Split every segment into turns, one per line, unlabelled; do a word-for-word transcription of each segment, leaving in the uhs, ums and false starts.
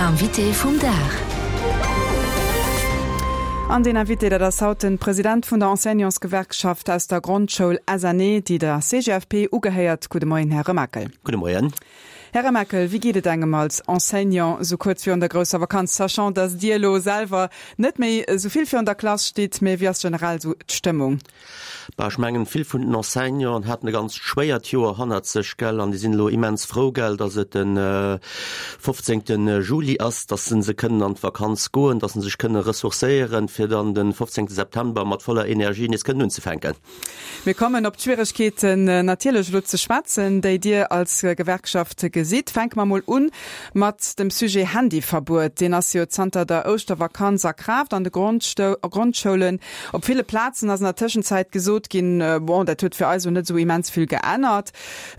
Invité vum Dag.
An den Invité, dat ass haut de President vun der Enseignantsgewerkschaft aus der Grondschoul S N E, déi der C G F P ugehéiert. Gudde Moien, Här Remakel.
Gudde Moien.
Här Remakel, wéi geet et engem als Enseignant sou kuerz virun der grousser Vakanz, sachant dass Dir elo selwer net méi sou vill virun der Klass stitt, mee wéi ass generell sou d'Stëmmung?
Bah, ech mengen, vill vun den Enseignanten haten e ganz schwéiert Joer hannert sech, gell, an déi sinn elo immens frou, gell, dass et den äh, fofzéngte Juli ass, dass se kënnen an d'Vakanz goen, dass se sech kënne ressourcéieren, fir dann den fofzéngte September mat voller Energie nees kënnen unzefänken.
Mir kommen op d'Schwieregkeeten äh, natierlech elo ze schwätzen, déi Dir als Gewerkschaft gesitt. Fänke mer mol un mat dem Sujet Handyverbuet. Deen ass jo zanter der Ouschtervakanz a Kraaft an de Grondschoulen. Op ville Plazen ass an der Tëschenzäit gesot ginn, äh, bon, dat huet fir eis net sou immens vill geännert.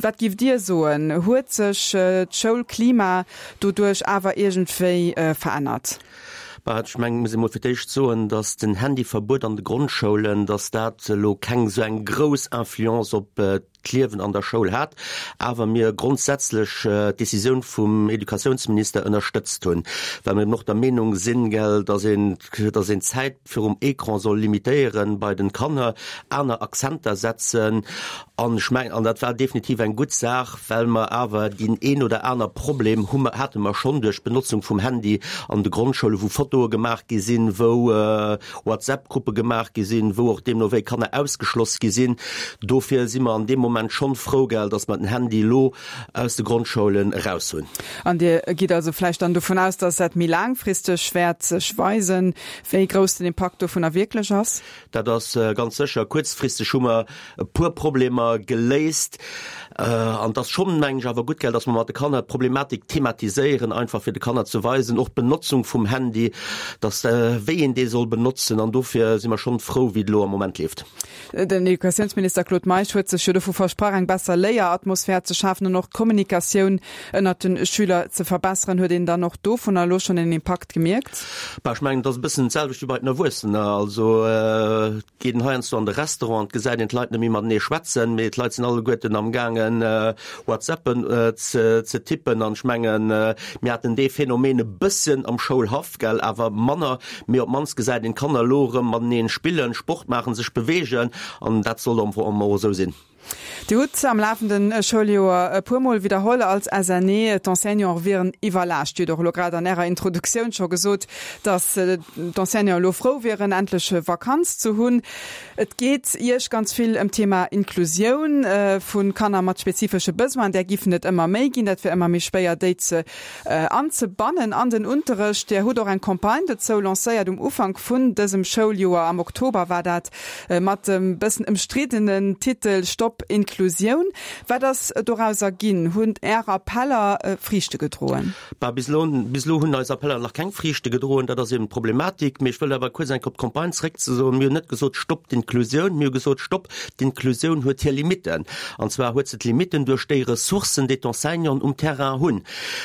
Wat géift Dir soen? Huet sech äh, d'Schoulklima doduerch awer iergendwéi äh, verännert?
Bah, ech mengen, muss emol fir d'éischt soen, dass den Handyverbuet an de Grondschoulen, dass dat elo keng sou eng grouss Influence op äh, d'Liewen an der Schoul hat, awer mir grondsätzlech äh, d'Decisioun vum Educatiounsminister ënnerstëtzt hunn, well mir nach der Meenung sinn, gell, dass een, dass een d'Zäit virum Ecran soll limitéieren bei den Kanner, aner Akzenter setzen an ech mengen, an dat war definitiv eng gutt Saach, well mer awer deen een oder aner Problem hu hate mer schonn duerch Benotzung vum Handy an de Grondschoule, wou Fotoe gemaach gi sinn, wou äh, WhatsApp-Gruppe gemaach gi sinn, wou och deemno wéi Kanner ausgeschloss gi sinn. Dofir si mer an deem Moment schonn frou, gell, dass mer den Handy lo aus de Grondschoulen raus hunn.
An Dir gitt also vläicht dann dovun aus, dass dat méi laangfristeg wäert sech weisen, wéi grouss den Impakt dovunner wierklech ass?
Dat ass äh, ganz sécher. Kuerzfristeg hu mer e puer Problemer geléist äh, an dat ass schonn mengen ech awer gutt, gell, dass mer mat de Kanner d'Problematik thematiséieren, einfach fir de Kanner ze weisen, och d'Benotzung vum Handy, dass äh, wéi een dee soll benotzen an dofir si mer schonn frou, wéi et lo am Moment leeft.
Den Educatiounsminister Claude Meisch huet sech jo dovu versprach, eng besser Léieratmosphär ze schafen an och d'Kommunikatioun ënnert de Schüler ze verbesseren. Huet een dann och dovunner elo schonn en Impakt gemierkt?
Bah, ech mengen, dat ass e bëssen d'selwecht wéi bei den Erwuessenen. Also äh, geet een heiansdo an de Restaurant, gesäit een d'Leit net méi matenee schwätzen, mee d'Leit sinn alleguerten am gaangen äh, WhatsAppen äh, ze, ze tippen an ech mengen äh, mir haten dee Phänomen e bëssen am Schoulhaff, gell, awer manner, mee op d'mannst gesäit een d'Kanner lo rëm matenee spillen, Sport maachen, sech beweegen an dat soll am Fong och esou sinn.
Dir hutt am lafende Schouljoer e puermol widderholl als S N E, d'Enseignanten wieren iwwerlaascht. Dir hutt och lo grad an Ärer Introduktioun scho gesot, dass d'Enseignanten elo frou wieren, endlech Vakanz ze hunn. Et geet Iech ganz vill ëm d'Thema Inklusioun vu Kanner mat spezifesche Besoinen. Där giffen et ëmmer méi ginn, dat wier ëmmer méi schwéier, déi ze anzebannen an den Unterrecht. Dir hutt och eng Campagne dozou lancéiert um Ufank vun dësem Schouljoer, am Oktober war dat, mat dem bëssen ëmstriddenen Titel Stopp Inklusioun. Wat ass dorauser ginn? Hunn Är Appeller Friichte gedroen?
Bah, bis elo, bis elo hunn eis Appeller nach keng Friichte gedroen, dat ass eben d'Problematik. Mee ech wëll awer kuerz eng Kéier op d'Campagne zréckzesoen. Mir hunn net gesot Stopp d'Inklusioun, mir hu gesot Stopp, d'Inklusioun huet hir Limitten. An zwar huet se d'Limitten duerch déi Ressourcen, déi d'Enseignanten um Terrain hunn.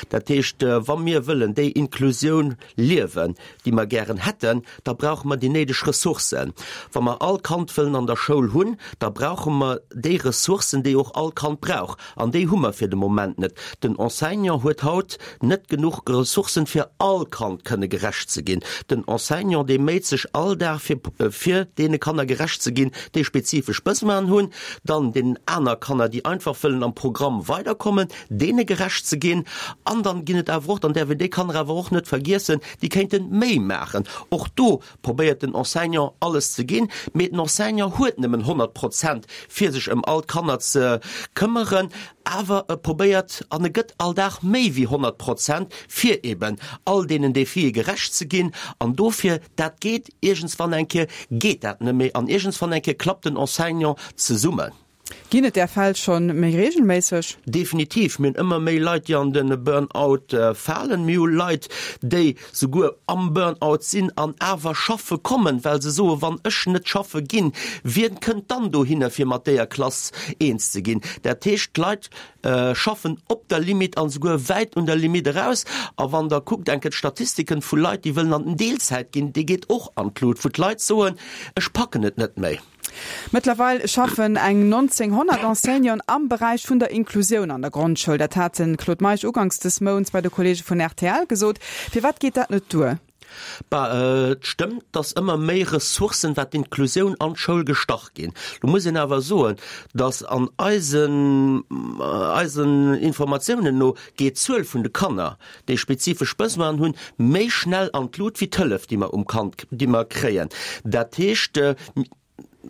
Dat heescht, wa mir wëllen déi Inklusioun liewen, déi mer gären hätten, da brauche mer déi néideg Ressourcen. Wa mer all Kand wëllen an der Schoul hunn, da brauche mer déi Ressourcen, déi och all Kand brauch. An déi hu mer fir de Moment net. Den Enseignant huet haut net genuch Ressourcen, fir all Kand kënne gerecht ze ginn. Den Enseignant, dee méit sech all Dag fir, fir deene Kanner gerecht ze ginn, déi spezifesch Besoinen hunn, dann deenen aner Kanner, déi einfach wëllen am Programm weiderkommen, deene gerecht ze ginn. An dann ginn et awer och, dann däerf een déi Kanner awer och net vergiessen, déi kéinte méi maachen. Och do probéiert den Enseignant alles ze ginn, mee den Enseignant huet nëmmen honnert Prozent, fir sech ëm all d'Kanner ze këmmeren, awer e probéiert an e gëtt all Dag méi wéi honnert Prozent, fir eben all deenen Defie gerecht ze ginn. An dofir, dat geet iergendswann eng Kéier geet dat net méi an iergendswann eng Kéier klappt den Enseignant zesummen.
Ginn et där Fäll schonn méi reegelméisseg?
Definitiv, mir hunn ëmmer méi Leit, déi an de Burnout falen. Mir hu Leit, déi souguer am Burnout sinn an awer schaffe kommen, well se soen, wann ech net schaffe ginn, wien kënnt dann dohinner, fir mat deeër Klass eens ze ginn? Dat heescht, d'Leit schaffen op der Limite an souguer wäit un der Limite eraus. A wann Der kuckt eng Kéier d'Statistiken vu Leit, déi wëllen an den Deelzäit ginn, déi geet och an d'Lut, wou d'Leit soen, ech packen et net méi.
Mëttlerweil schaffen eng nonzénghonnert honnert Enseignanten am Beräich vun der Inklusioun an der Grondschoul. Dat hat de Claude Meisch uganks des Mounts bei de Kolleege vun R T L gesot. Firwat geet dat net duer?
Bah, äh, et stëmmt, dass ëmmer méi Ressourcen, wat d'Inklusioun an d'Schoul gestach ginn. Do muss een awer soen, dass an eisen, eisen Informatiounen no geet d'Zuel vun de Kanner, déi spezifesch Besoinen hunn, méi schnell an d'Lut wéi d'Hëllef, déi mer um Kand, déi mer kréien. Dat heescht, äh,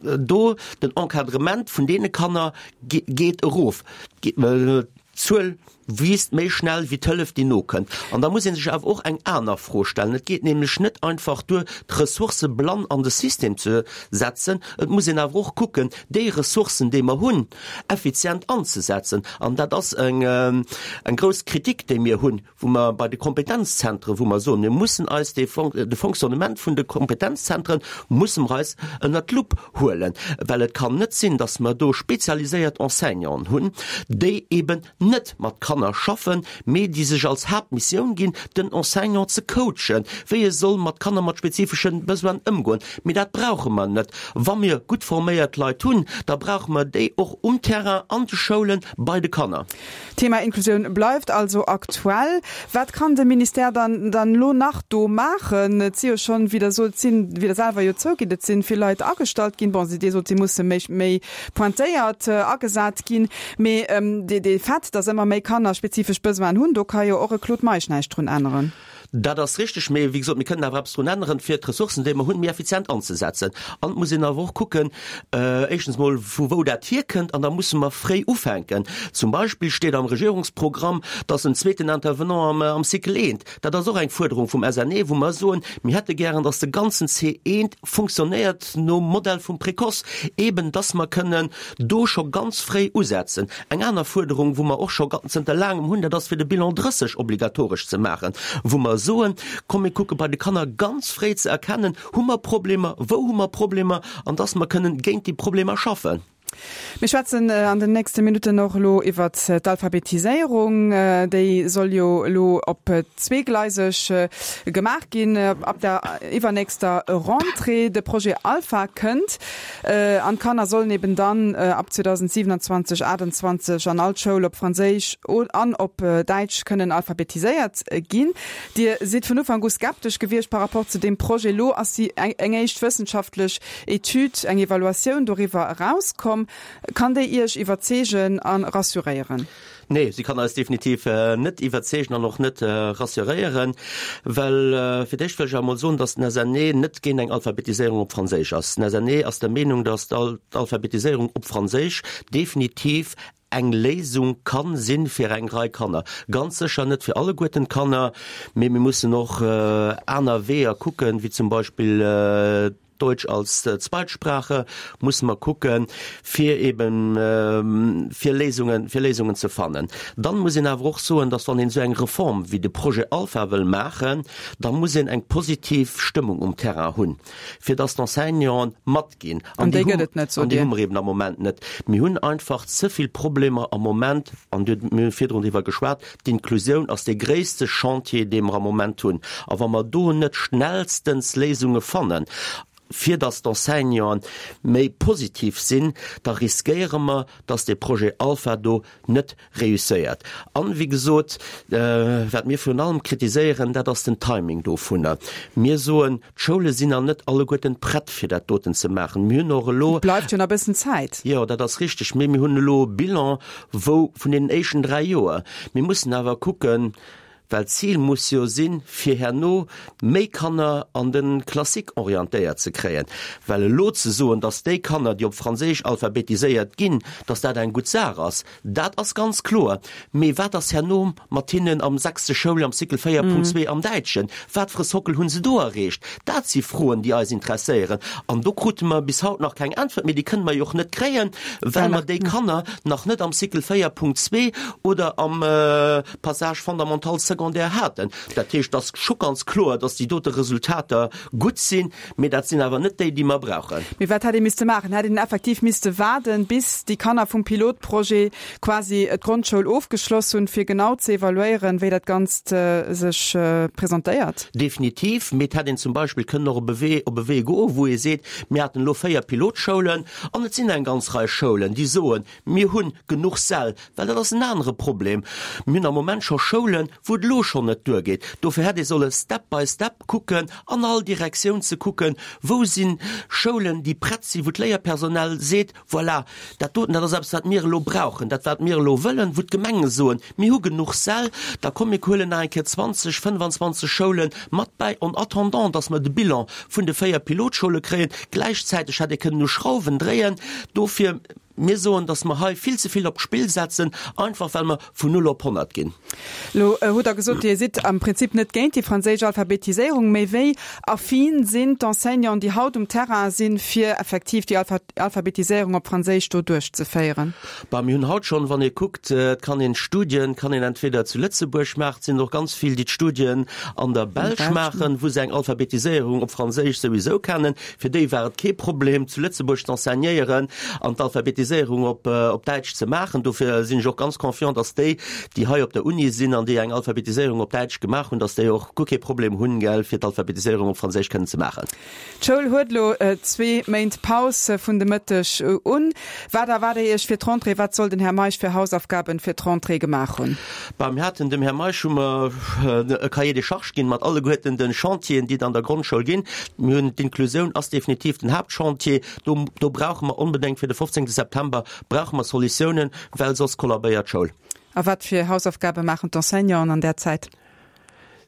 do den Encadrement vun deene Kanner geet erof. D'Zuel wiisst méi schnell wéi d'Hëllef, déi nokënnt. An da muss ee sech awer och eng aner Fro stellen. Et geet nämlech net einfach duer, d'Ressourcë blann an de System ze setzen. Et muss een awer och kucken, déi Ressourcen, déi mer hunn, effizient anzesetzen. An dat ass eng, eng grouss Kritik, déi mir hunn, wou mer bei de Kompetenzzentren, wou mer soen, mir mussen eis de de Fonctionnement vun de Kompetenzzentren musse mer eis ënnert d'Lupp huelen, well et kann net sinn, dass mer do spezialiséiert Enseignanten hunn, déi eben net mat Kanner schaffen, mee déi sech als Haaptmissioun ginn, den Enseignant ze coachen, wéi e soll mat Kanner mat spezifesche Besoinen ëmgoen. Mee dat brauche mer net. Wa mir gutt forméiert Leit hunn, da brauche mer déi och um Terrain, an de Schoulen, bei de Kanner.
Thema Inklusioun bleift also aktuell. Wat kann de Ministère dann dann elo nach do maachen? Et si jo schonn, wéi Der sot, sinn, wéi Der selwer jo zougitt, et sinn vill Leit agestallt ginn. Bon, Dir sot, si musse méi méi pointéiert agesat ginn. Mee dee dee Fait, datt ëmmer méi Kanner spezifesch Besoinen hunn, do ka jo och e Claude Meisch näischt drun änneren.
Dat ass richteg, mee wéi gesot, mir kënnen awer eppes drun änneren, fir d'Ressourcen, déi mer hunn, méi effizient anzesetzen. An et muss een awer och kucken, éischtens mol, vu wou dat hierkënnt, an da musse mer fréi ufänken. Zum Beispill steet am Regierungsprogramm, dass en zweeten Intervenant am, am Cycle eent, dat ass och eng Fuerderung vum S N E, wou mer soen, mir hätte gären, dass de ganzen C eent funktionéiert nom Modell vum Précoce, eben dass mer kënnen do scho ganz fréi usetzen. Eng aner Fuerderung, wou mer och scho zënter laangem hunn, dat ass fir de Bilan drësseg obligatoresch ze maachen, wou mer soen, komm mir kucke bei de Kanner ganz fréi ze erkennen, hu mer Problemer, wou hu mer Problemer, an dass mer kënnen géint déi Problemer schaffen.
Mir schwätzen an den nächste Minutten och elo iwwert d'Alphabetiséierung. Déi soll jo elo op zweegleiseg gemaach ginn ab der iwwernächster Rentrée. De Projet Alpha kënnt an d'Kanner sollen eben dann ab zweedausendsiewenundzwanzeg, aachtundzwanzeg an all Schoul op Franséisch an op Däitsch kënnen alphabetiséiert ginn. Dir sidd vun Ufank u skeptesch gewiescht par rapport zu deem Projet. Elo ass déi eng éischt wëssenschaftlech Etüd, eng Evaluatioun doriwwer erauskomm. Kann déi Iech iwwerzeegen a rassuréieren?
Nee, si kann eis definitiv net iwwerzeegen an och net rassuréieren, well fir d'éischt wëll ech emol soen, datt den S N E net géint eng Alphabetiséierung op Franséisch ass. Den S N E ass der Meenung, datt d'Alphabetiséierung op Franséisch definitiv eng Léisung kann sinn fir eng Rei Kanner. Ganz sécher net fir alleguerten d'Kanner, mee mir mussen och aner Weeër kucken, wéi zum Beispill Deutsch als Zweitsprache, musse mer kucken, fir eben fir Léisungen, fir Léisungen ze fannen. Dann muss een awer och soen, dass wann een esou eng Reform wéi de Projet Alpha wëll maachen, da muss een eng positiv Stëmmung um Terrain hunn, fir dass d'Enseignanten matginn.
An déi gëtt et net, sot
An déi
Dir?
hu mer eben am Moment net. Mir hunn einfach ze vill Problemer am Moment, an Dir hutt, mir hu virdrun driwwer geschwat, d'Inklusioun ass dee gréisste Chantier, dee mer am Moment hunn. A wa mer do net schnellstens Léisunge fannen, fir dass d'Enseignanten méi positiv sinn, da riskéiere mer, dass dee Projet Alpha do net réusséiert. An, wéi gesot, wat mir virun allem kritiséieren, dat ass den Timing dovunner. Mir soen, d'Schoule sinn nach net alleguerten prett, fir dat doten ze maachen. Mir hunn och elo.
Et bleift jo nach e bëssen Zäit.
Jo, dat ass richteg, mee mir hunn elo e Bilan, wou vun deenen éischten dräi Joer. Mir mussen awer kucken, well d'Zil muss jo sinn, fir herno méi Kanner an de Classique orientéiert ze kréien. Well elo ze soen, datt déi Kanner, déi op Franséisch alphabetiséiert ginn, datt dat eng gutt Saach ass, dat ass ganz kloer. Mee wat ass herno mat hinnen am sechste Schouljoer am Cycle véier Punkt zwee am Däitschen? Wat fir e Sockel hu se do erreecht? Dat si Froen, déi eis interesséieren. An do krute mer bis haut nach keng Äntwert. Mee déi kënne mer jo och net kréien, well mer déi Kanner nach net am Cycle véier Punkt zwee oder am Passage fondamental secondaire Secondaire haten. Dat heescht, et ass scho ganz kloer, dass déi dote Resultater gutt sinn, mee dat sinn awer net déi, déi mer brauchen.
Mee wat hätt ee misste maachen? Hätt een effektiv misste waarden, bis déi Kanner vum Pilotprojet quasi d'Grondschoul ofgeschloss hunn, fir genau ze evaluéieren, wéi dat Ganzt sech presentéiert?
Definitiv. Mee et hätt een zum Beispill kënnen och op e Wee, op e Wee goen, wou ee seet, Mir haten elo véier Pilotschoulen an et sinn eng ganz Rei Schoulen, déi soen, Mir hunn genuch Säll, well dat ass en anere Problem. Mir hunn am Moment scho Schoulen, wou et elo schonn net duergeet. Dofir hätt ee solle step by step kucken, an all Direktioun ze kucken, wou si Schoulen, déi prett sinn, wou d'Léierpersonal seet, Voilà, dat doten, dat ass eppes, wat mir elo brauchen, dat wat mir elo wëllen, wou d'Gemenge soen, Mir hu genuch Säll, da komm mir huelen nach eng Kéier zwanzeg, fënnefanzwanzeg Schoule mat bäi, en attendant, dass mer de Bilan vun de véier Pilotschoule kréien. Gläichzäiteg hätt ee kënnen u Schrauwen dréien. Dofir, mir soen, dass mer hei vill ze vill op d'Spill setzen, einfach well mer vun null op honnert ginn.
Elo hutt Der gesot, Dir sidd am Prinzip net géint déi franséisch Alphabetiséierung, mee wéi affin sinn d'Enseignanten, déi haut um Terrain sinn, fir effektiv déi Alphabetiséierung op Franséisch do duerchzeféieren?
Bah, mir hunn haut schonn, wann ee kuckt, et kann een d'Studien kann een entweder zu Lëtzebuerg maachen, et sinn och ganz vill, déi d'Studien an der Belsch maachen, wou se eng Alphabetiséierung op Franséisch souwisou kennen. Fir déi war et kee Problem, zu Lëtzebuerg z'enseignéieren an d'Alphabetiséierung op op Däitsch ze maachen. Dofir sinn ech och ganz confiant, dass déi, déi hei op der Uni sinn an déi eng Alphabetiséierung op Däitsch gemaach hunn, dass déi och guer kee Problem hunn, gell, fir d'Alphabetiséierung op Franséisch kënnen ze maachen.
D'Schoul huet elo zwee Méint Paus vun de Mëtteg un. Wat erwaart Dir Iech fir d'Rentrée? Wat soll den Här Meisch fir Hausaufgaben fir d'Rentrée gemaach hunn?
Bah, mir haten dem Här Meisch hu mer e Cahier des charges ginn mat alleguerten de Chantieren, déi et an der Grondschoul ginn. Mir hunn, d'Inklusioun ass definitiv den Haaptchantier. Do, do brauche mer onbedéngt fir de fofzéngte September brauche mer Solutiounen, well soss kollabéiert d'Schoul.
A wat fir Hausaufgabe maachen d'Enseignanten an där Zäit?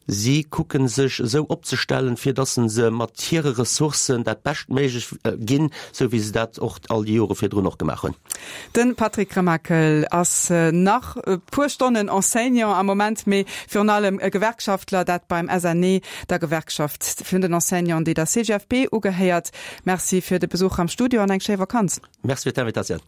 Si kucken sech esou opzestellen, fir dass se mat hire Ressourcen dat Beschtméiglech ginn, esou wéi se dat och all déi Jore virdrun och gemaach hunn.
De Patrick Remakel ass nach e puer Stonnen Enseignant am Moment, mee virun allem e Gewerkschaftler, dat beim S N E, der Gewerkschaft vun den Enseignanten, déi der C G F B ugehéiert. Merci fir de Besuch am Studio an eng schéi Vakanz.
Merci fir d'Invitatioun.